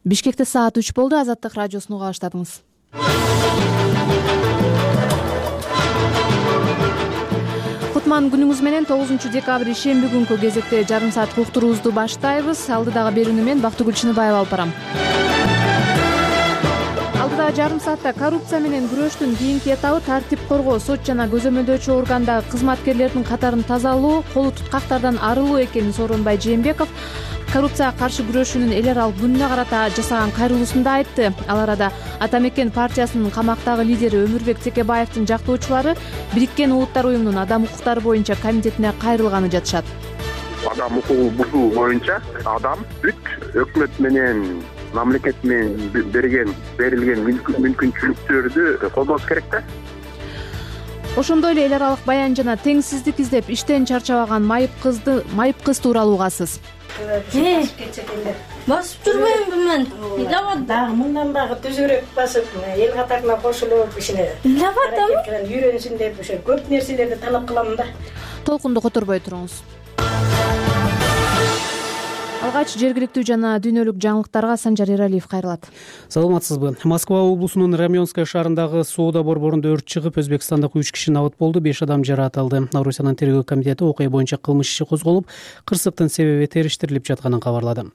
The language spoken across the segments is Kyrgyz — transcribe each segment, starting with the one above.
Бишкекте саат 3 болду. Азаттык радиосуну уга баштадыңыз. Кутман күнүңүз менен 9 декабрь ишемби күнкү кезекте жарым саат уктуруубузду баштайбыз. Алдыдагы берүүнү мен Бактыгүл Чыныбаева алып барам. Алдыдагы жарым саатта коррупция менен күрөштүн кийинки этабы тартип коргоо, сот жана көзөмөлдөөчү органдагы кызматкерлердин катарын тазалоо, колу туткактардан арылуу экенин Сооронбай Жээнбеков коррупцияга каршы күрөшүүнүн эл аралык күнүнө карата жасаган кайрылуусунда айтты. Ал арада Ата Мекен партиясынын камактагы лидери Өмүрбек Текебаевдин жактоочулары Бириккен Улуттар уюмунун адам укуктары боюнча комитетине кайрылганы жатышат. Адам укугун бузуу боюнча адам өкмөт менен мамлекет менен берилген мүмкүнчүлүктөрдү колдош керек да. Ошондой эле эл аралык баян жана теңсиздик издеп иштен чарчабаган майып кыз тууралуу угасыз. Басып жүрбөймүнбү мен? Дагы мындан дагы түзүрөөк басып, эл катарына кошулуп, ишине үйрөнсүн деп ошо көп нерселерди талап кылам да. Толкунду которбой туруңуз. Алгач жергиликтүү жана дүйнөлүк жаңылыктарга Санжар Эралиев кайрылат. Саламатсызбы? Москва облусунун Раменская шаарындагы соода борборунда өрт чыгып, Өзбекстандык 3 киши набыт болду, 5 адам жаракат алды. Орусиянын тергөө комитети окуя боюнча кылмыш иши козголуп, кырсыктын себеби териштирилип жатканын кабарлады.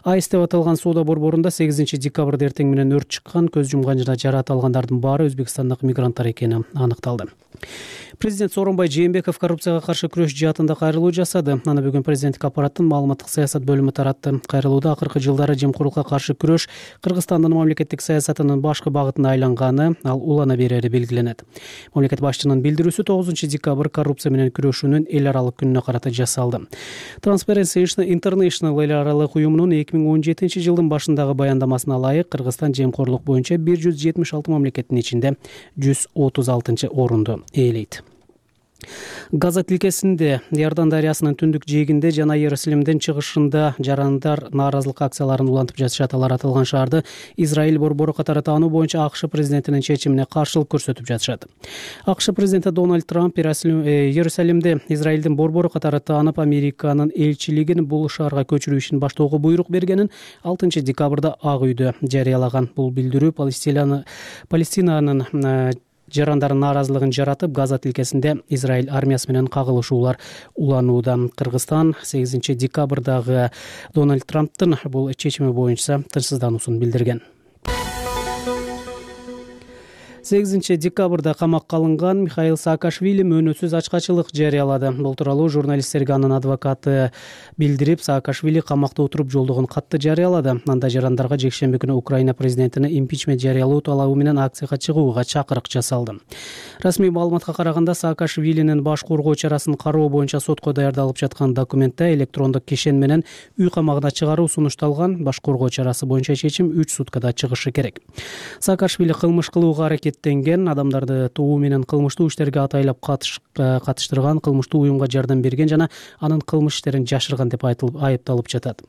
АИС деп аталган соода борборунда 8 декабрда эртең менен өрт чыккан, көз жумган жана жаракат алгандардын баары Өзбекстандык мигранттар экени аныкталды. Президент Сооронбай Жээнбеков коррупцияга каршы күрөш жаатында кайрылуу жасады. Аны бүгүн президенттик аппараттын маалыматтык саясат бөлүмү таратты. Кайрылууда акыркы жылдары жемкорлукка каршы күрөш Кыргызстандын мамлекеттик саясатынын башкы багытына айланганы, ал улана берери белгиленет. Мамлекет башчынын билдирүүсү 9 декабрь коррупция менен күрөшүүнүн эл аралык күнүнө карата жасалды. Transparency International эл аралык уюмунун 2017 жылдын башындагы баяндамасына ылайык Кыргызстан жемкорлук боюнча 176 мамлекеттин ичинде 136-орунду ээлейт. Газа тилкесинде Иордан дарыясынын түндүк жээгинде жана Иерусалимдин чыгышында жарандар нааразылык акцияларын улантып жатышат. Алар аталган шаарды Израиль борбору катары таануу боюнча АКШ президентинин чечимине каршылык көрсөтүп жатышат. АКШ президенти Дональд Трамп Иерусалимде Израилдин борбору катары таанып, Американын элчилигин бул шаарга көчүрүү ишин баштоого буйрук бергенин 6 декабрда Ак үйдө жарыялаган. Бул билдирүү Палестинанын жарандардын нааразылыгын жаратып, Газа тилкесинде Израиль армиясы менен кагылышуулар уланууда. Кыргызстан 8 декабрдагы Дональд Трамптын бул чечими боюнча тынчсыздануусун билдирген. 8 декабрда камакка алынган Михаил Саакашвили мөөнөтсүз ачкачылык жарыялады. Бул тууралуу журналисттерге анын адвокаты билдирип, Саакашвили камакта отуруп жолдогон катты жарыялады. Анда жарандарга жекшемби күнү Украина президентине импичмент жарыялоо талабы менен акцияга чыгууга чакырык жасалды. Расмий маалыматка караганда, Саакашвилинин баш коргоо чарасын кароо боюнча сотко даярдалып жаткан документте электрондук кишен менен үй камагына чыгаруу сунушталган. Баш коргоо чарасы боюнча чечим 3 суткада чыгышы керек. Саакашвили кылмыш кылууга аракеттенген, адамдарды тобу менен кылмыштуу иштерге атайлап катыштырган, кылмыштуу уюмга жардам берген жана анын кылмыш иштерин жашырган деп айыпталып жатат.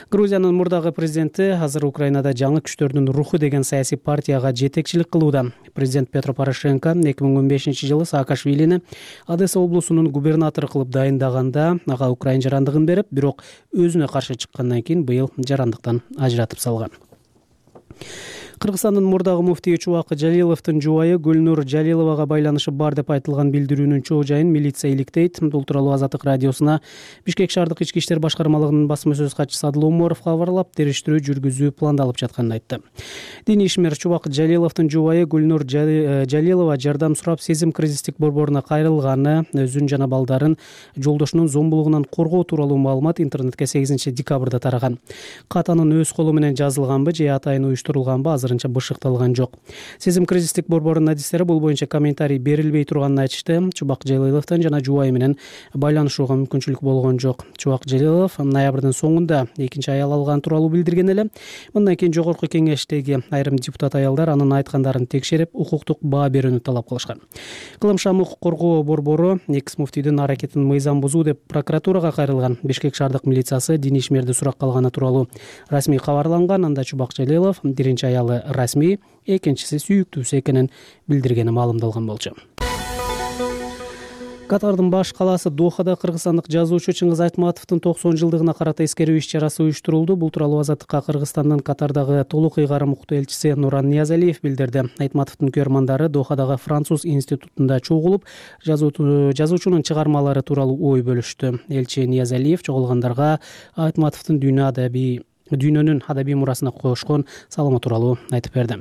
Грузиянын мурдагы президенти азыр Украинада жаңы күчтөрдүн руху деген саясий партияга жетекчилик кылууда. Президент Петро Порошенко 2015 жылы Саакашвилини Одесса облусунун губернатору кылып дайындаганда ага украин жарандыгын берип, бирок өзүнө каршы чыккандан кийин быйыл жарандыктан ажыратып салган. Кыргызстандын мурдагы муфтийи Чубак Жалиловдун жубайы Гүлнур Жалиловага байланышы бар деп айтылган билдирүүнүн чоо жайын милиция иликтейт. Бул тууралуу Азаттык радиосуна Бишкек шаардык ички иштер башкармалыгынын басма сөз катчысы Адыл Оморов кабарлап, териштирүү жүргүзүү пландалып жатканын айтты. Диний ишмер Чубак Жалиловдун жубайы Гүлнур Жалилова жардам сурап, сезим кризистик борборуна кайрылганы, өзүн жана балдарын жолдошунун зомбулугунан коргоо тууралуу маалымат интернетке 8 декабрда тараган. Катанын өз колу менен жазылганбы же атайын уюштурулганбы азырынча бышыкталган жок. Сезим кризистик борборунун адистери бул боюнча комментарий берилбей турганын айтышты. Чубак Жалиловдун жана жубайы менен байланышууга мүмкүнчүлүк болгон жок. Чубак Жалилов ноябрдын соңунда экинчи аял алган тууралуу билдирген эле. Мындан кийин жогорку кеңештеги айрым депутат аялдар анын айткандарын текшерип, укуктук баа берүүнү талап кылышкан. Кылымшам укук коргоо борбору экс муфтийдин аракетин мыйзам бузуу деп прокуратурага кайрылган. Бишкек шаардык милициясы диний ишмерди суракка алганы тууралуу расмий кабарланган. Анда Чубак Жалилов биринчи аялы расмий, экинчиси сүйүктүүсү экенин билдиргени маалымдалган болчу. Катардын баш калаасы Дохада кыргызстандык жазуучу Чыңгыз Айтматовдун 90 жылдыгына карата эскерүү иш-чарасы уюштурулду. Бул тууралуу Азаттыкка Кыргызстандын Катардагы толук ыйгарым уктуу элчиси Нуран Ниязалиев билдирди. Айтматовдун көрмандары Дохадагы француз институтунда чогулуп, жазуучунун чыгармалары тууралуу ой бөлүштү. Элчи Ниязалиев чогулгандарга Айтматовдун дүйнөнүн адабий мурасына кошкон салымы тууралуу айтып берди.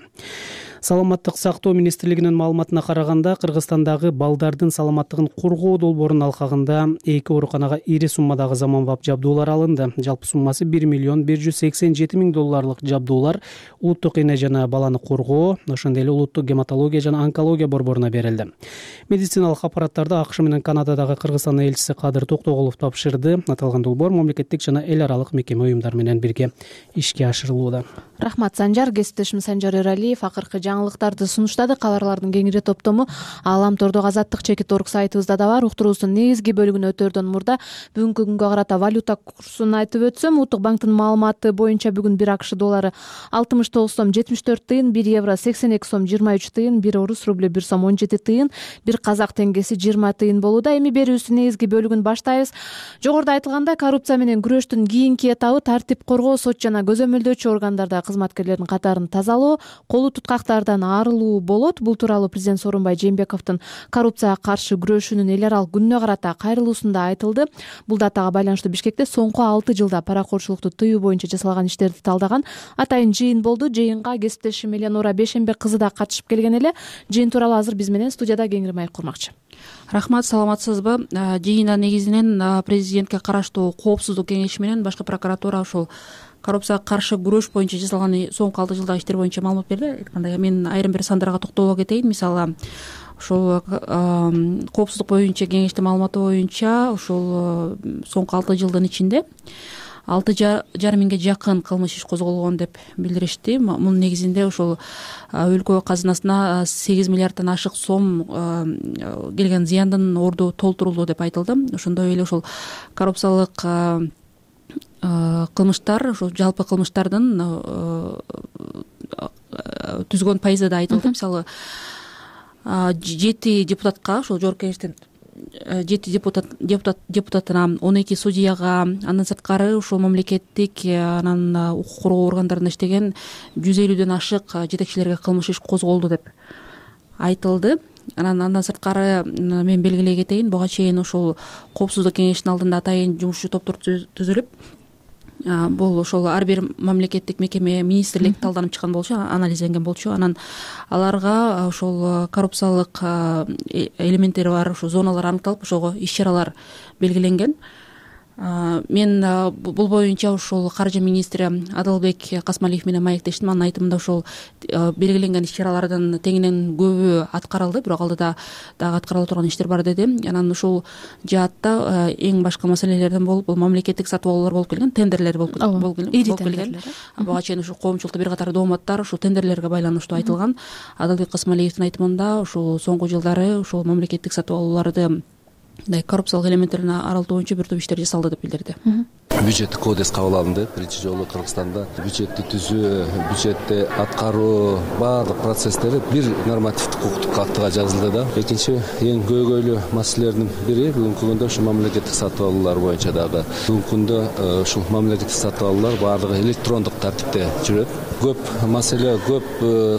Саламаттык сактоо министрлигинин маалыматына караганда, Кыргызстандагы балдардын саламаттыгын коргоо долбоорунун алкагында 2 ооруканага ири суммадагы заманбап жабдуулар алынды. Жалпы суммасы $1,187,000 жабдуулар улуттук эне жана баланы коргоо, ошондой эле улуттук гематология жана онкология борборуна берилди. Медициналык аппараттарды АКШ менен Канададагы Кыргызстандын элчиси Кадыр Токтоголов тапшырды. Аталган долбоор мамлекеттик жана эл аралык мекеме уюмдар менен бирге ишке ашырылууда. Рахмат Санжар. Кесиптешим Санжар Эралиев акыркы жаңылыктарды сунуштады. Кабарлардын кеңири топтому Ааламтордогу Азаттык /org сайтыбызда да бар. Уктуруубуздун негизги бөлүгүнө өтөрдөн мурда бүгүнкү күнгө карата валюта курсун айтып өтсөм, Улуттук банктын маалыматы боюнча бүгүн 1 АКШ доллары 69 сом 74 тыйын, 1 евро 82 сом 23 тыйын, 1 орус рубль 1 сом 17 тыйын, 1 казак теңгеси 20 тыйын болууда. Эми берүүбүздүн негизги бөлүгүн баштайбыз. Жогоруда айтылгандай, коррупция менен күрөштүн кийинки этабы тартип коргоо, сот жана көзөмөлдөөчү органдарда кызматкерлердин катарын тазалоо, колу туткактардан арылуу болот. Бул тууралуу президент Сооронбай Жээнбековдун коррупцияга каршы күрөшүүнүн эл аралык күнүнө карата кайрылуусунда айтылды. Бул датага байланыштуу Бишкекте соңку 6 жылда паракорчулукту тыюу боюнча жасалган иштерди талдаган атайын жыйын болду. Жыйынга кесиптешим Эленора Бейшембек кызы да катышып келген эле. Жыйын тууралуу азыр биз менен студияда кеңири маек курмакчы. Рахмат, саламатсызбы? Жыйында негизинен президентке караштуу коопсуздук кеңеши менен башкы прокуратура ушул коррупцияга каршы күрөш боюнча жасалган соңку 6 жылдагы иштер боюнча маалымат берди. Айткандай, мен айрым бир сандарга токтоло кетейин. Мисалы, ушул коопсуздук боюнча кеңештин маалыматы боюнча ушул соңку 6 жылдын ичинде 6,5 миңге жакын кылмыш иш козголгон деп билдиришти. Мунун негизинде ушул өлкө казынасына 8 миллиарддан ашык сом келген зыяндын орду толтурулду деп айтылды. Ошондой эле ушул коррупциялык кылмыштар, ушул жалпы кылмыштардын түзгөн пайызы да айтылды. Мисалы, 7 депутатка, ушул жогорку кеңештин 7 депутатына, 12 судьяга, андан сырткары ушул мамлекеттик анан укук коргоо органдарында иштеген 150дөн ашык жетекчилерге кылмыш иш козголду деп айтылды. Андан сырткары мен белгилей кетейин, буга чейин ушул коопсуздук кеңештин алдында атайын жумушчу топтор түзүлүп, бул ошол ар бир мамлекеттик мекеме, министрлик талданып чыккан болчу, анализленген болчу. Анан аларга ошол коррупциялык элементтери бар ошол зоналар аныкталып, ошого иш-чаралар белгиленген. Мен бул боюнча ушул каржы министри Адалбек Касмалиев менен маектештим. Анын айтымында ошол белгиленген иш-чаралардын теңинен көбү аткарылды, бирок алдыда дагы аткарыла турган иштер бар деди. Анан ушул жаатта эң башкы маселелерден бул мамлекеттик сатып алуулар болуп келген, тендерлер болуп келген. Буга чейин ушул коомчулукта бир катар дооматтар ушул тендерлерге байланыштуу айтылган. Адалбек Касмалиевдин айтымында ушул соңку жылдары ушул мамлекеттик сатып алууларды коррупциялык элементтерин арылтуу боюнча бир топ иштер жасалды деп билдирди. Бюджеттик кодекс кабыл алынды. Биринчи жолу Кыргызстанда бюджетти түзүү, бюджетти аткаруу баардык процесстери бир нормативдик укуктук актыга жазылды да. Экинчи эң көйгөйлүү маселелердин бири бүгүнкү күндө ушул мамлекеттик сатып алуулар боюнча дагы. Бүгүнкү күндө ушул мамлекеттик сатып алуулар баардыгы электрондук тартипте жүрөт. Көп маселе, көп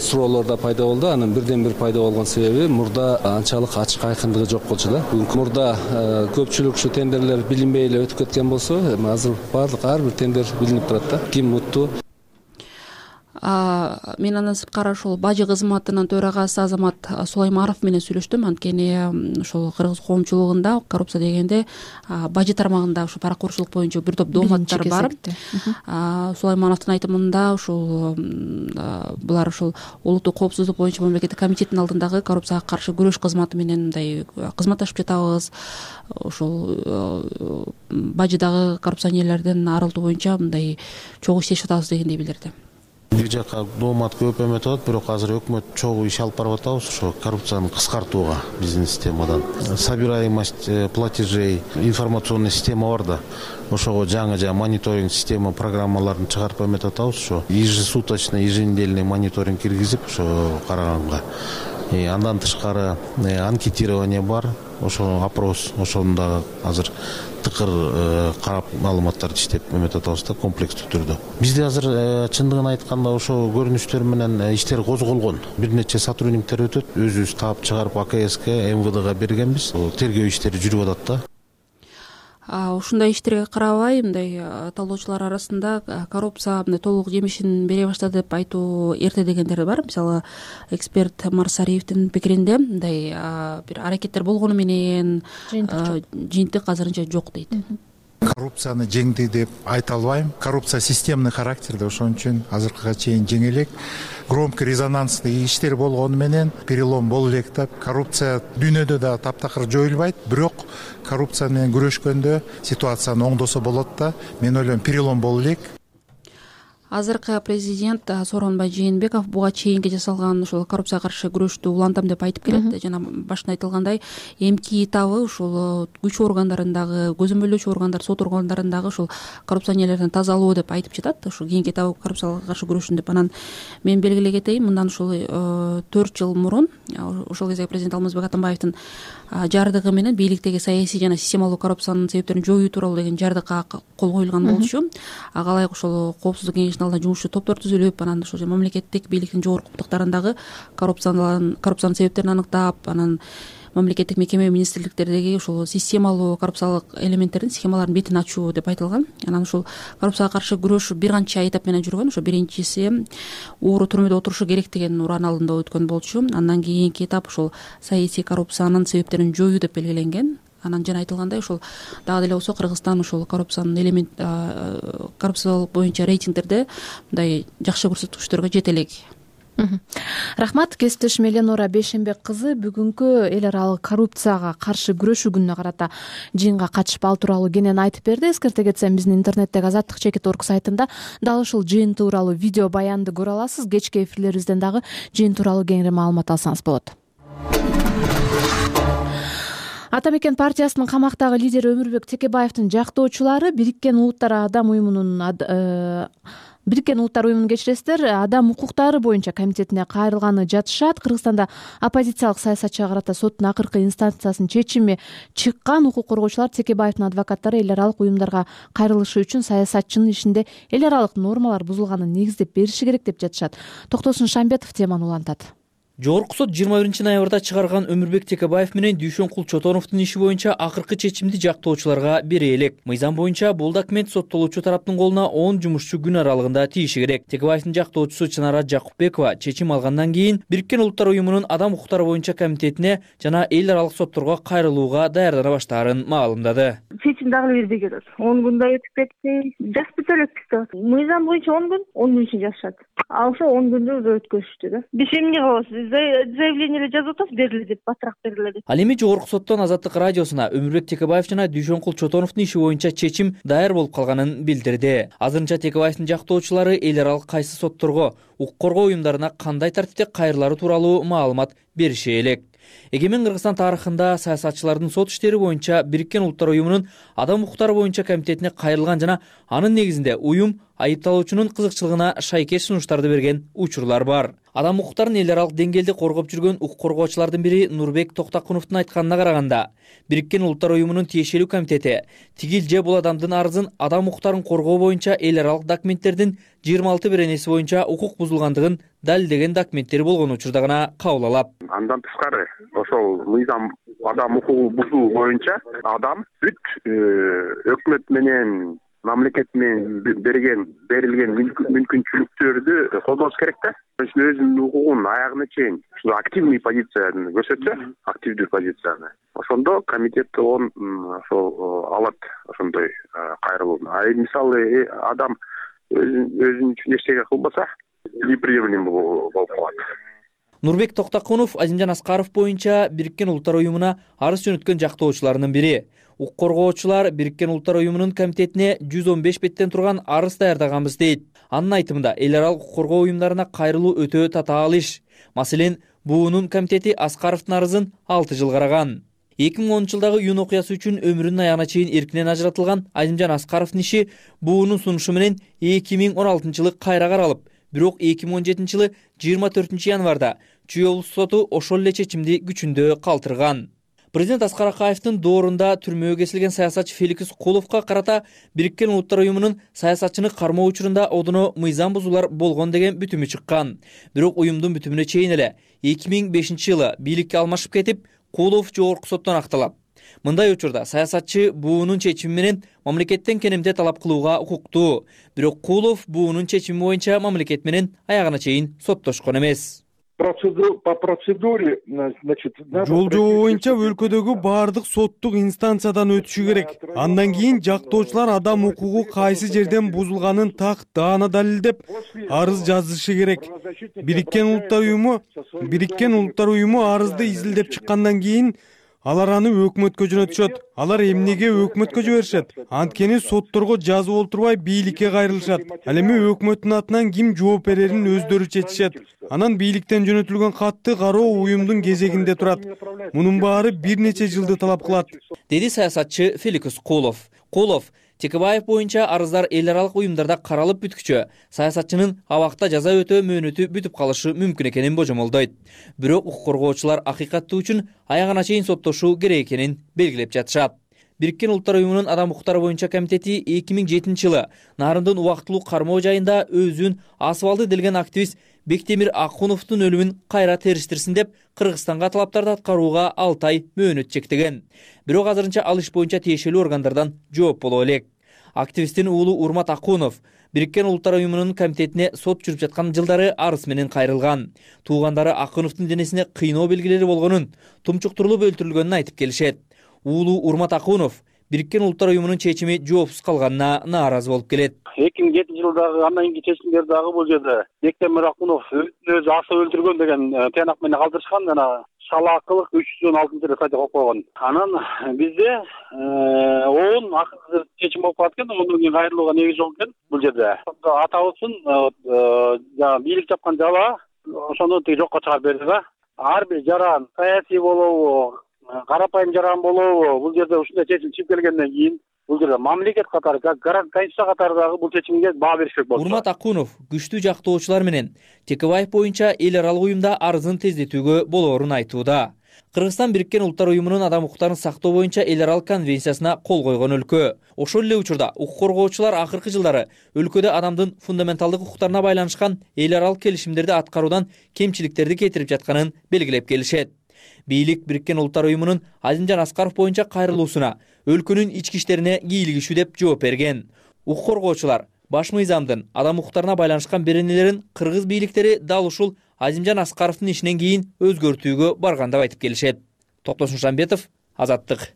суроолор да пайда болду. Анын бирден бир пайда болгон себеби мурда анчалык ачык айкындыгы жок болчу да. Бүгүнкү мурда көпчүлүк ушу тендерлер билинбей эле өтүп кеткен болсо, азыр баардык ар бир тендер билинип турат да. Ким утту? Мен андан сырткары ушул бажы кызматынын төрагасы Азамат Сулаймаров менен сүйлөштүм. Анткени ушул кыргыз коомчулугунда коррупция дегенде бажы тармагында ушул паракорчулук боюнча бир топ дооматтар бар. Сулаймановдун айтымында ушул булар ушул улуттук коопсуздук боюнча мамлекеттик комитеттин алдындагы коррупцияга каршы күрөш кызматы менен мындай кызматташып жатабыз. Ушул бажыдагы коррупционерлерден арылтуу боюнча мындай чогуу иштешип атабыз дегендей билдирди. Бир жака доомат көп эметип атат, бирок азыр өкмөт чогуу иш алып барып атабыз ошо коррупцияны кыскартууга биздин системадан. Собираемость платежей, информационный система бар да. Ошого жаңы мониторинг система программаларын чыгарып эметип атабыз. Ошо ежесуточный, еженедельный мониторинг киргизип ошо караганга. Андан тышкары анкетирование бар, ошо опрос, ошону дагы азыр тыкыр карап маалыматтарды иштеп эметип атабыз да, комплекстүү түрдө. Бизде азыр чындыгын айтканда ошо көрүнүштөр менен иштер козголгон. Бир нече сотрудниктер өтөт, өзүбүз таап чыгарып АКСке, МВДга бергенбиз. Тергөө иштери жүрүп атат да. Ушундай иштерге карабай, мындай талоочулар арасында коррупция мындай толук жемишин бере баштады деп айтуу эрте дегендер бар. Мисалы, эксперт Марсариевдин пикиринде мындай бир аракеттер болгону менен жыйынтык азырынча жок дейт. Коррупцияны жеңди деп айта албайм. Коррупция системный характерде, ошон үчүн азыркыга чейин жеңе элек. Громкий резонанстуу иштер болгону менен перелом боло элек деп. Коррупция дүйнөдө да таптакыр жоюлбайт, бирок коррупция менен күрөшкөндө ситуацияны оңдосо болот да. Мен ойлойм, перелом боло элек. Азыркы президент Сооронбай Жээнбеков буга чейинки жасалган ушул коррупцияга каршы күрөштү улантам деп айтып келет. Жана башында айтылгандай, эмки этабы ушул күч органдарындагы, көзөмөлдөөчү органдар, сот органдарындагы ушул коррупционерлерден тазалоо деп айтып жатат. Ушул кийинки этабы коррупцияга каршы күрөшүн деп. Анан мен белгилей кетейин, мындан ушул 4 жыл мурун ошол кезде президент Алмазбек Атамбаевдин жардыгы менен бийликтеги саясий жана системалуу коррупциянын себептерин жоюу тууралуу деген жардыкка кол коюлган болчу. Ага ылайык ошол коопсуздук кеңешинин алдында жумушчу топтор түзүлүп, анан ошол мамлекеттик бийликтин жогорку кутуктарындагы коррупциянын себептерин аныктап, анан мамлекеттик мекеме, министрликтердеги ушул системалуу коррупциялык элементтердин, схемалардын бетин ачуу деп айтылган. Анан ушул коррупцияга каршы күрөш бир канча этап менен жүргөн. Ошо биринчиси ууру түрмөдө отурушу керек деген уран алдында өткөн болчу. Андан кийинки этап ушул саясий коррупциянын себептерин жоюу деп белгиленген. Анан жана айтылгандай, ушул дагы деле болсо Кыргызстан ушул коррупциянын коррупциялык боюнча рейтингдерде мындай жакшы көрсөткүчтөргө жете элек. Рахмат. Кесиптешим Эленора Бейшенбек кызы бүгүнкү эл аралык коррупцияга каршы күрөшүү күнүнө карата жыйынга катышып ал тууралуу кенен айтып берди. Эскерте кетсем, биздин интернеттеги Азаттык.org сайтында дал ушул жыйын тууралуу видео баянды көрө аласыз. Кечки эфирлерибизден дагы жыйын тууралуу кеңири маалымат алсаңыз болот. Ата мекен партиясынын камактагы лидери Өмүрбек Текебаевдин жактоочулары Бириккен Улуттар уюмунун кечиресиздер, адам укуктары боюнча комитетине кайрылганы жатышат. Кыргызстанда оппозициялык саясатчыга карата соттун акыркы инстанциясынын чечими чыккан. Укук коргоочулар Текебаевдин адвокаттары эл аралык уюмдарга кайрылышы үчүн саясатчынын ишинде эл аралык нормалар бузулганын негиздеп бериши керек деп жатышат. Токтосун Шамбетов теманы улантат. Жогорку сот 21-ноябрда чыгарган Өмүрбек Текебаев менен Дүйшөнкул Чотоновдун иши боюнча акыркы чечимди жактоочуларга бере элек. Мыйзам боюнча бул документ соттолуучу тараптын колуна 10 жумушчу күн аралыгында тийиши керек. Текебаевдин жактоочусу Чынара Жакупбекова чечим алгандан кийин Бириккен Улуттар уюмунун адам укуктары боюнча комитетине жана эл аралык сотторго кайрылууга даярдана баштаарын маалымдады. Чечим дагы бербей келет. 10 күндөй өтүп кетти. Жазып элекпиз да. Мыйзам боюнча 10 күн үчүн жазышат. А ошо 10 күндү өткөзүштү да. Биз эмне кылабыз? Заявление жазып атабыз, бериле деп, батыраак бериле деп. Ал эми Жогорку соттон Азаттык радиосуна Өмүрбек Текебаев жана Дүйшөнкул Чотоновдун иши боюнча чечим даяр болуп калганын билдирди. Азырынча Текебаевдин жактоочулары эл аралык кайсы сотторго, укук коргоо уюмдарына кандай тартипте кайрылары тууралуу маалымат бериши элек. Эгемен Кыргызстан тарыхында саясатчылардын сот иштери боюнча Бириккен Улуттар уюмунун адам укуктары боюнча комитетине кайрылган жана анын негизинде уюм айыпталуучунун кызыкчылыгына шайкеш сунуштарды берген учурлар бар. Адам укуктарын эл аралык деңгээлде коргоп жүргөн укук коргоочулардын бири Нурбек Токтакуновдун айтканына караганда, Бириккен Улуттар уюмунун тиешелүү комитети тигил же бул адамдын арызын адам укуктарын коргоо боюнча эл аралык документтердин 26 беренеси боюнча укук бузулгандыгын далилдеген документтери болгон учурда гана кабыл алат. Андан тышкары ошол мыйзам адам укугун бузуу боюнча адам бүт өкмөт менен мамлекет менен берилген мүмкүнчүлүктөрдү колдош керек да. Өзүнүн укугун аягына чейин активный позицияны көрсөтсө, активдүү позицияны. Ошондо комитет ошол алат ошондой кайрылууну. Мисалы адам өзүнүн үчүн эчтеке кылбаса, неприемлемо болуп калат. Нурбек Токтакунов Азимжан Аскаров боюнча Бириккен Улуттар уюмуна арыз жөнөткөн жактоочулардын бири. Укук коргоочулар Бириккен Улуттар уюмунун комитетине 115 беттен турган арыз даярдаганбыз дейт. Анын айтымында эл аралык укук коргоо уюмдарына кайрылуу өтө татаал иш. Маселен, буунун комитети Аскаровдун арызын 6 жыл караган. 2010-жылдагы июнь окуясы үчүн өмүрүнүн аягына чейин эркинен ажыратылган Азимжан Аскаровдун иши буунун сунушу менен 2016-жылы кайра каралып, бирок 2017-жылы 24-январда Чүй облустук соту ошол эле чечимди күчүндө калтырган. Президент Аскар Акаевдин доорунда түрмөгө кесилген саясатчы Феликс Куловго карата Бириккен Улуттар уюмунун саясатчыны кармоо учурунда одоно мыйзам бузуулар болгон деген бүтүмү чыккан. Бирок уюмдун бүтүмүнө чейин эле 2005-жылы бийликке алмашып кетип, Кулов жогорку соттон акталат. Мындай учурда саясатчы буунун чечими менен мамлекеттен кенемде талап кылууга укуктуу. Бирок Кулов буунун чечими боюнча мамлекет менен аягына чейин соттошкон эмес. По процедуре, значит, жол-жобо боюнча өлкөдөгү баардык соттук инстанциядан өтүшү керек. Андан кийин жактоочулар адам укугу кайсы жерден бузулганын так даана далилдеп арыз жазышы керек. Бириккен Улуттар уюму арызды изилдеп чыккандан кийин алар аны өкмөткө жөнөтүшөт. Алар эмнеге өкмөткө жиберишет? Анткени сотторго жазып олтурбай бийликке кайрылышат. Ал эми өкмөттүн атынан ким жооп берерин өздөрү чечишет. Анан бийликтен жөнөтүлгөн катты кароо уюмдун кезегинде турат. Мунун баары бир нече жылды талап кылат, деди саясатчы Феликс Кулов. Текебаев боюнча арыздар эл аралык уюмдарда каралып бүткүчө саясатчынын абакта жаза өтөө мөөнөтү бүтүп калышы мүмкүн экенин божомолдойт. Бирок укук коргоочулар акыйкаттуу үчүн аягына чейин соттошуу керек экенин белгилеп жатышат. Бириккен Улуттар уюмунун адам укуктары боюнча комитети 2007-жылы Нарындын убактылуу кармоо жайында өзүн асып делген активист Бектемир Акуновдун өлүмүн кайра териштирсин деп Кыргызстанга талаптарды аткарууга 6 ай мөөнөт чектеген. Бирок азырынча ал иш боюнча тиешелүү органдардан жооп боло элек. Активисттин уулу Урмат Акунов Бириккен Улуттар уюмунун комитетине сот жүрүп жаткан жылдары арыз менен кайрылган. Туугандары Акуновдун денесине кыйноо белгилери болгонун, тумчуктурулуп өлтүрүлгөнүн айтып келишет. Уулу Урмат Акунов Бириккен Улуттар уюмунун чечими жоопсуз калганына нааразы болуп келет. 2007-жылдагы андан кийинки чечимдер дагы бул жерде Бектемир Акунов өзү асып өлтүргөн деген тыянак менен калтырышкан, жана шалаакылык 316-эле статья коюп койгон. Анан бизде он акыркы чечим болуп калат экен, ондан кийин кайрылууга негиз жок экен бул жерде. Атабыздын бийлик жапкан жала ошону жокко чыгарып берди да. Ар бир жаран саясий болобу, карапайым жаран болобу, бул жерде ушундай чечим чыгып келгенден кийин бул жерде мамлекет катары, конституция катарындагы бул чечимге баа бериш керек болчу. Урмат Акунов күчтүү жактоочулар менен Текебаев боюнча эл аралык уюмда арызын тездетүүгө болоорун айтууда. Кыргызстан Бириккен Улуттар уюмунун адам укуктарын сактоо боюнча эл аралык конвенциясына кол койгон өлкө. Ошол эле учурда укук коргоочулар акыркы жылдары өлкөдө адамдын фундаменталдык укуктарына байланышкан эл аралык келишимдерди аткаруудан кемчиликтерди кетирип жатканын белгилеп келишет. Бийлик Бириккен Улуттар уюмунун Азимжан Аскаров боюнча кайрылуусуна өлкөнүн ички иштерине кийлигишүү деп жооп берген. Укук коргоочулар баш мыйзамдын адам укуктарына байланышкан беренелерин кыргыз бийликтери дал ушул Азимжан Аскаровдун ишинен кийин өзгөртүүгө барган деп айтып келишет. Токтосун Шамбетов, Азаттык.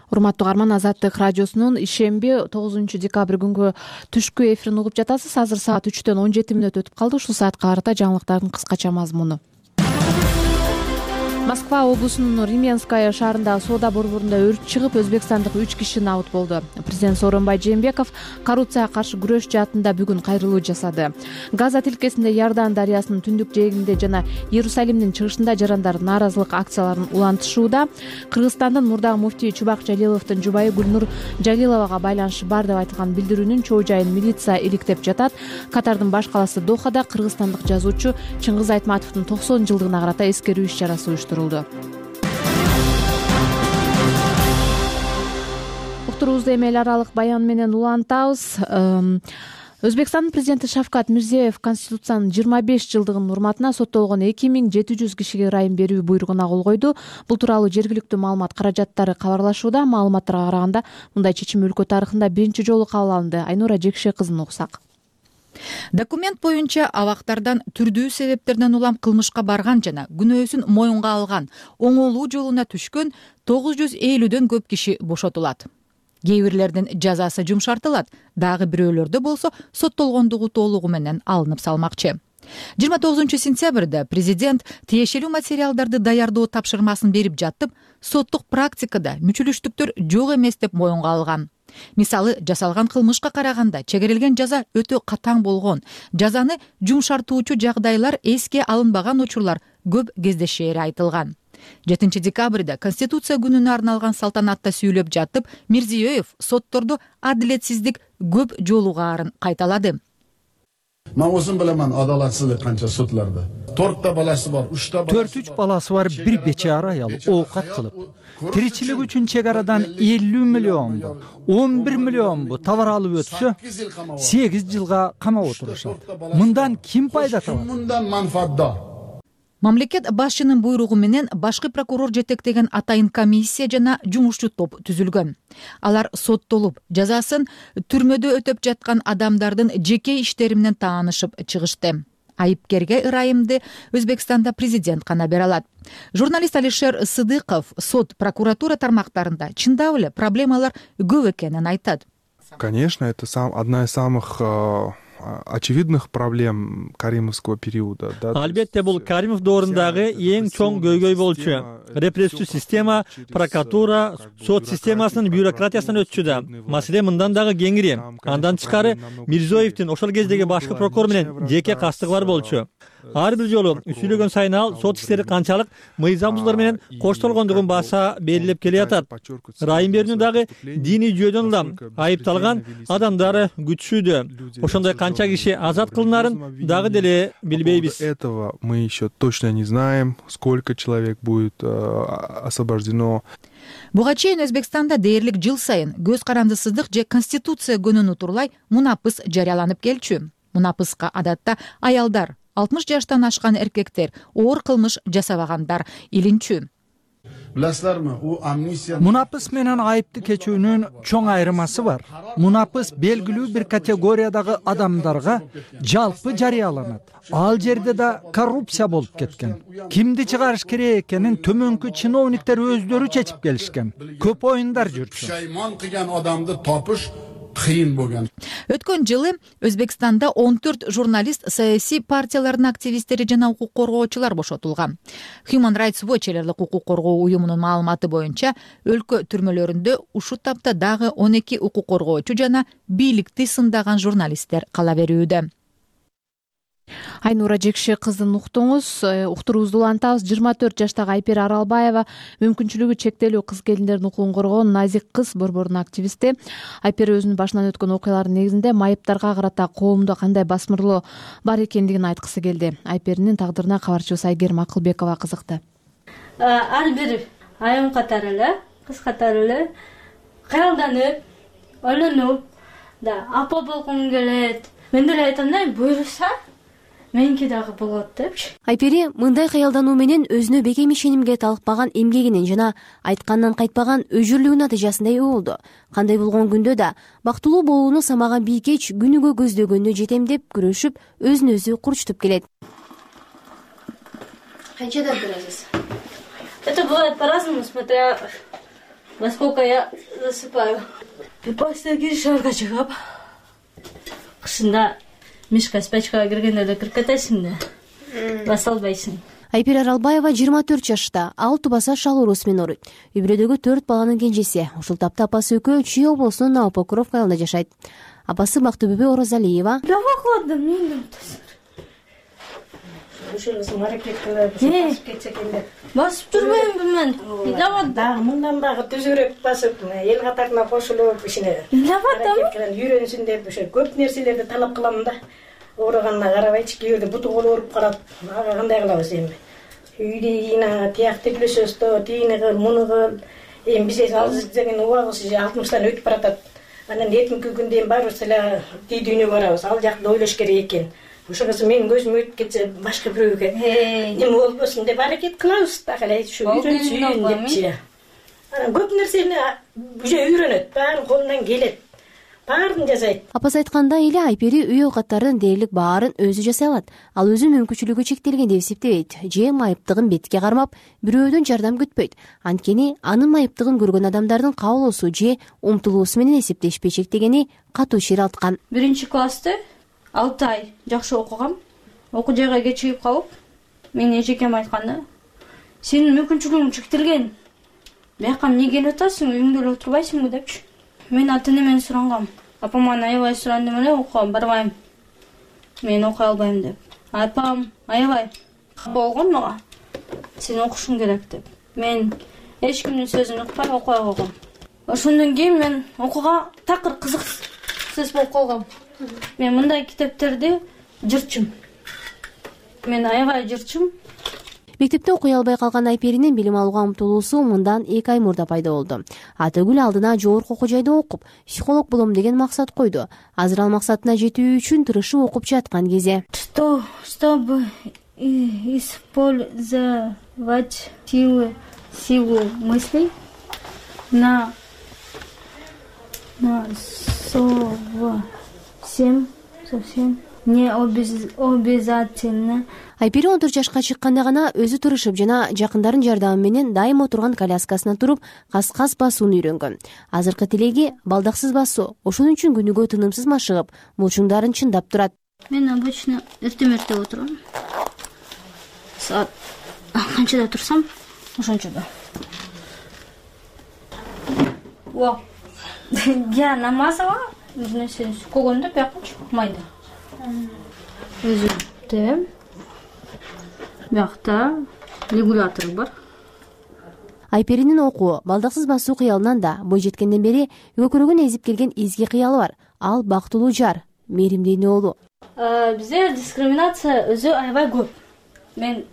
Урматтуу угарман, Азаттык радиосунун ишемби 9-декабрь күнгү түшкү эфирин угуп жатасыз. Азыр саат 3-төн 17 мүнөт өтүп калды. Ушул саатка карата жаңылыктардын кыскача мазмуну. Москва облусунун Рименская шаарындагы соода борборунда өрт чыгып, өзбекстандык 3 киши набыт болду. Президент Сооронбай Жээнбеков коррупцияга каршы күрөш жаатында бүгүн кайрылуу жасады. Газа тилкесинде Иордан дарыясынын түндүк жээгинде жана Иерусалимдин чыгышында жарандар нааразылык акцияларын улантышууда. Кыргызстандын мурдагы муфтии Чубак Жалиловдун жубайы Гүлнур Жалиловага байланышы бар деп айтылган билдирүүнүн чоо жайын милиция иликтеп жатат. Катардын баш каласы Дохада кыргызстандык жазуучу Чыңгыз Айтматовдун 90 жылдыгына карата эскерүү иш чарасы уюштурулду. Уктуруубузду эми эл аралык баян менен улантабыз. Өзбекстандын президенти Шавкат Мирзиёев Конституциянын 25 жылдыгынын урматына соттолгон 2700 кишиге ырайым берүү буйругуна кол койду. Бул тууралуу жергиликтүү маалымат каражаттары кабарлашууда. Маалыматтарга караганда мындай чечим өлкө тарыхында биринчи жолу кабыл алынды. Айнура Жекше кызын угсак. Документ боюнча абактардан түрдүү себептерден улам кылмышка барган жана күнөөсүн моюнга алган, оңолуу жолуна түшкөн 950дөн көп киши бошотулат. Кээ бирлердин жазасы жумшартылат, дагы бирөөлөрдө болсо соттолгондугу толугу менен алынып салмакчы. 29-сентябрда президент тиешелүү материалдарды даярдоо тапшырмасын берип жатып, соттук практикада мүчүлүштүктөр жок эмес деп моюнга алган. Мисалы, жасалган кылмышка караганда чегерилген жаза өтө катаң болгон, жазаны жумшартуучу жагдайлар эске алынбаган учурлар көп кездешери айтылган. 7-декабрда Конституция күнүнө арналган салтанатта сүйлөп жатып, Мирзиёев соттордо адилетсиздик көп жолугаарын кайталады. Мен озун билемин адалатсыздык канча судларда. 4 баласы бар, 4-3 баласы бар bir бечара аял оокат кылып. Тиричилик үчүн чек арадан 50 миллион, 11 миллион бу товар алып өтсө, 8 жылга камап отурушат. Мындан ким пайда табат? Мындан манфаатдор. Мамлекет башчынын буйругу менен башкы прокурор жетектеген атайын комиссия жана жумушчу топ түзүлгөн. Алар соттолуп, жазасын түрмөдө өтөп жаткан адамдардын жеке иштери менен таанышып чыгышты. Айыпкерге ырайымды Өзбекстанда президент гана бере алат. Журналист Алишер Сыдыков сот, прокуратура тармактарында чындап эле проблемалар көп экенин айтат. Конечно, это одна из самых очевидных проблем каримовского периода. Албетте бул Каримов доорундагы эң чоң көйгөй болчу. Репрессив система, прокуратура, сот системасынын бюрократиясынан өтчү да. Маселе мындан дагы кеңири. Андан тышкары Мирзоевдин ошол кездеги башкы прокурор менен жеке кастыгы бар болчу. Ар бир жолу сүйлөгөн сайын ал сот иштери канчалык мыйзам бузуулар менен коштолгондугун баса белгилеп келе жатат. Райым берүүнү дагы диний жүйөдөн улам айыпталган адамдары күтүшүүдө. Ошондой канча киши азат кылынарын дагы деле билбейбиз. Этого мы еще точно не знаем, сколько человек будет освобождено. Буга чейин Өзбекстанда дээрлик жыл сайын көз карандысыздык же конституция күнүн утурлай мунапыс жарыяланып келчү. Мунапыска адатта аялдар, 60 жаштан ашкан эркектер, оор кылмыш жасабагандар илинчү. Билесизерби, у амнистия Мунапыс менен айыпты кечүүнүн чоң айырмасы бар. Мунапыс белгилүү бир категориядагы адамдарга жалпы жарыяланат. Ал жерде да коррупция болуп кеткен. Кимди чыгарыш керек экенин төмөнкү чиновниктер өздөрү чечип келишкен. Көп оюндар жүрчү. Шаймон кылган адамды топуш кыйын болгон. Өткөн жылы Өзбекстанда 14 журналист, саясий партиялардын активисттери жана укук коргоочулар бошотулган. Human Rights Watch элдик укук коргоо уюмунун маалыматы боюнча, өлкө түрмөлөрүндө ушул тапта дагы 12 укук коргоочу жана бийликти сындаган журналисттер кала берүүдө. Айнура Жекши кыздын уктуңуз. Уктуруубузду улантабыз. 24 жаштагы Айпер Аралбаева мүмкүнчүлүгү чектелүү кыз келиндердин укугун коргоон назик кыз борборунун активисти. Айпер өзүнүн башынан өткөн окуялардын негизинде майыптарга карата коомдо кандай басмырлоо бар экендигин айткысы келди. Айпердин тагдырына кабарчыбыз Айгерим Акылбекова кызыкты. Ар бир айым катары эле, кыз катары эле кыялданып, ойлонуп, да апа болгум келет. Мен деле айтам да, буйруса меники дагы болот депчи. Айпери мындай кыялдануу менен өзүнө бекем ишенимге талыкпаган эмгегинин жана айткандан кайтпаган өжүрлүгүнүн натыйжасында ээ болду. Кандай болгон күндө да бактылуу болууну самаган бийкеч күнүгө көздөгөнү жетем деп күрөшүп, өзүн өзү курчутуп келет. Канчадан турасыз? Это бывает по-разному, смотря во сколько я засыпаю. После шарга чыгып, кышында мишка спячкага киргенде эле кирип кетесиң да, баса албайсың. Айпер Аралбаева 24 жашта, ал тубаса шал оорусу менен ооруйт. Үй бүлөдөгү 4 баланын кенжеси. Ушул тапта апасы экөө Чүй облусунун Новопокровка айылында жашайт. Апасы Бактыбүбө Орозалиева. Давакладым, мен ушунусун аракет кылып, басып кетсе экен деп. Басып жүрбөймүн мен. Дагы мындан дагы түзүүрөөк басып, эл катарына кошулуп, ишине аракет кылып үйрөнсүн деп ошо көп нерселерди талап кылам да. Ооруганына карабайчы, кээ бирде буту колу ооруп калат. Ага кандай кылабыз эми? Үйдү ийна, тиякты плюсөстө, тийини кыл, муну кыл. Эми биз азыр деген убагыбыз 60тан өтүп баратат. Анан эртеңки күндө эми баарыбыз эле тий дүйнөгө барабыз. Ал жакты ойлош керек экен. Ошоңоз менин көзүм өтүп кетсе, башка бирөөгө эме болбосун деп аракет кылабыз. Так эле ушу үйрөнсүн депчи. Анан көп нерсени уже үйрөнөт, баары колунан келет. Баарын жасайт. Апасы айткандай эле Айпери үй оокаттарын дээрлик баарын өзү жасай алат. Ал өзү мүмкүнчүлүгү чектелген деп эсептебейт. Же майыптыгын бетке кармап, бирөөдөн жардам күтпөйт. Анткени анын майыптыгын көргөн адамдардын кабылуусу же умтулуусу менен эсептешпей чектегени катуу ширалткан. 1-классты 6 ай жакшы окугам. Окуу жайга кечигип калып, менин эжекем айтканда, сенин мүмкүнчүлүгүң чектелген. Бияка эмне келип атасың, үйүңдө эле отурбайсыңбы депчи. Мен ата-энемден сурангам. Апаман аябай сурандым эле, окууга барбайм. Мен окуй албайм деп. Апам аябай болгон мага. Сен окушуң керек деп. Мен эч кимдин сөзүн укпай окуй койгом. Ошондон кийин мен окууга такыр кызыксыз болуп калгам. Мен мындай китептерди жырчым. Мен аябай жырчым. Мектепте окуй албай калган Айперинин билим алууга умтулуусу мындан 2 ай мурда пайда болду. Атөгүл алдына жогорку окуу жайда окуп, психолог болом деген максат койду. Азыр ал максатына жетүү үчүн тырышып окуп жаткан кези. Чтобы использовать силу мыслей на совсем не обязательно. Айпери 14 жашка чыкканда гана өзү турушуп жана жакындарын жардамы менен дайыма отурган коляскасына туруп кас-кас басууну үйрөнгөн. Азыркы тилеги балдаксыз басуу. Ошон үчүн күнүгө тынымсыз машыгып, булчуңдарын чындап турат. Мен обычно эрте отурам. Саат канчада турсам, ошончодо. Я намазова, көгөндө бияка майда. Өзүмдө биякта регулятор бар. Айперинин окуу, балдаксыз басуу кыялынан да бой жеткенден бери көкүрөгүн эзип келген изги кыялы бар. Ал бактылуу жар, мээримдүү эне болуу. Бизде дискриминация өзү аябай көп. Мен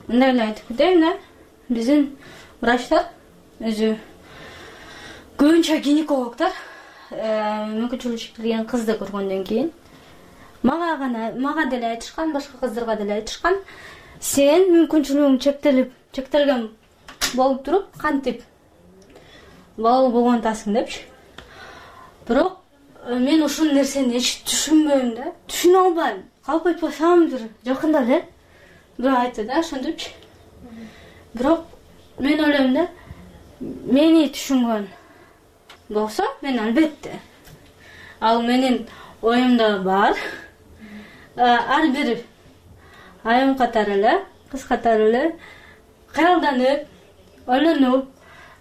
мындай эле айтып кетейин да. Биздин врачтар өзү көбүнчө гинекологдор мүмкүнчүлүгү чектелген кызды көргөндөн кийин мага деле айтышкан, башка кыздарга деле айтышкан, сен мүмкүнчүлүгүң чектелген болуп туруп, кантип балалуу болгон атасың депчи. Бирок мен ушул нерсени эч түшүнбөйм да, түшүнө албайм. Калп айтпасам бир жакында эле бирөө айтты да, ошентипчи. Бирок мен ойлойм да, мени түшүнгөн болсо, мен албетте ал менин оюмда бар. Ар бир айым катары эле, кыз катары эле кыялданып, ойлонуп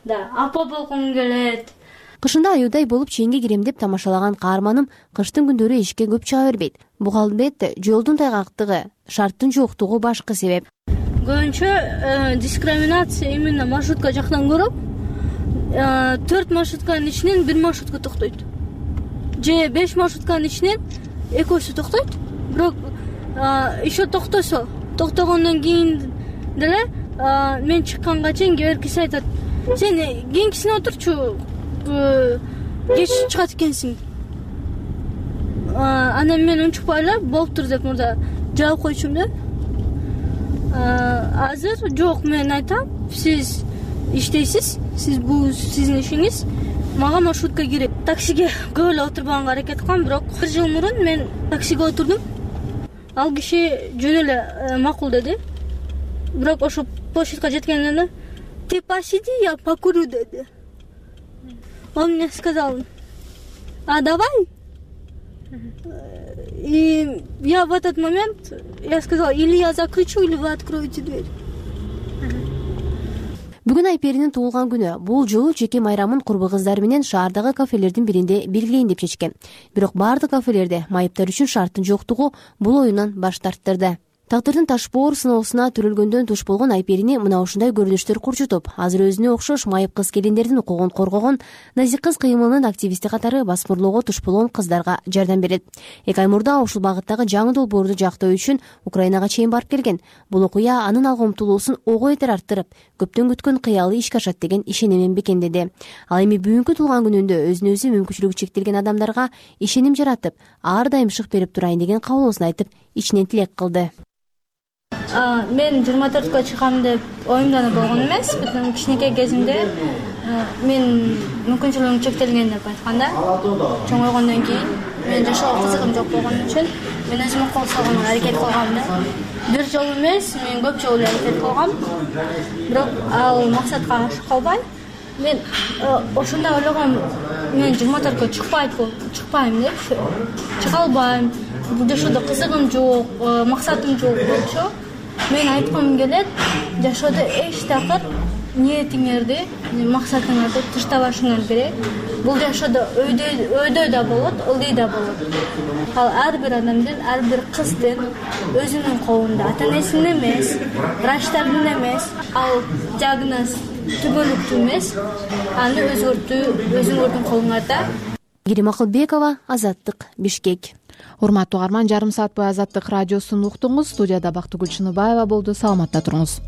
да апа болгум келет. Кышында аюудай болуп чейинге кирем деп тамашалаган каарманым кыштын күндөрү эшикке көп чыга бербейт. Буга албетте жолдун тайгактыгы, шарттын жоктугу башкы себеп. Көбүнчө дискриминация именно маршрутка жактан көрөм. 4 маршрутканын ичинен 1 маршрутка токтойт. Же 5 маршрутканын ичинен экөөсү токтойт. Бирок еще токтогондон кийин деле мен чыкканга чейин кээ айтат: "Сен кийинкисине отурчу, кеч чыгат экенсиң." Анан мен унчукпай эле болуптур деп мурда жаап койчумун да. Азыр жок, мен айтам, сиз иштейсиз, бул сиздин ишиңиз. Мага маршрутка керек. Таксиге көп эле отурбаганга аракет кылгам, бирок 1 жыл мурун мен таксиге отурдум. Ал киши жөн эле макул деди. Бирок ошо площадька жеткенде "Ты посиди, я покурю" деди. Он мне сказал: "А давай?" И я в этот момент сказала: "Или я закричу, или вы откроете дверь." Бүгүн Айперинин туулган күнү. Бул жолу жеке майрамын курбу кыздары менен шаардагы кафелердин биринде белгилейин деп чечкен. Бирок бардык кафелерде майыптар үчүн шарттын жоктугу бул оюндан баш тарттырды. Тагдырдын ташбоор сыноосуна төрөлгөндөн туш болгон Айперини мына ушундай көрүнүштөр курчутуп, азыр өзүнө окшош майып кыз келиндердин укугун коргогон Назик кыз кыймылынын активисти катары басмырлоого туш болгон кыздарга жардам берет. 2 ай мурда ушул багыттагы жаңы долбоорду жактоо үчүн Украинага чейин барып келген. Бул окуя анын алга умтулуусун ого бетер арттырып, көптөн күткөн кыялы ишке ашат деген ишенемин бекемдеди. Ал эми бүгүнкү туулган күнүндө өзүнө өзү мүмкүнчүлүгү чектелген адамдарга ишеним жаратып, ар дайым шык берип турайын деген кабылуусун айтып, ичинен тилек кылды. Мен 24-ка чыгам деп оюмданып болгон эмес. Бүтүн кичинекей кезимде мен мүмкүнчүлүгүм чектелген деп айтканда, чоңойгондон кийин мен жашоого кызыгым жок болгон үчүн мен өзүмө кол салганга аракет кылгам да. Бир жолу эмес, мен көп жолу аракет кылгам. Бирок ал максатка ашып калбай, мен ошондой ойлогом, мен 24-ка чыкпайм деп, чыга албайм. Бул жашоодо кызыгым жок, максатым жок болчу. Мен айткым келет, жашоодо эч такыр ниетиңерди, максатыңарды таштабашыңар керек. Бул жашоодо өйдөй да болот, ылдый да болот. Ал ар бир адамдын, ар бир кыздын өзүнүн колунда, ата-энесинин эмес, врачтардын эмес, ал диагноз түбөлүктүү эмес, аны өзгөртүү өзүңөрдүн колуңарда. Герим Акылбекова, Азаттык, Бишкек. урматтуу угарман, жарым саат бою Азаттык радиосун уктуңуз. Студияда Бактыгүл Чыныбаева болду. Саламатта туруңуз.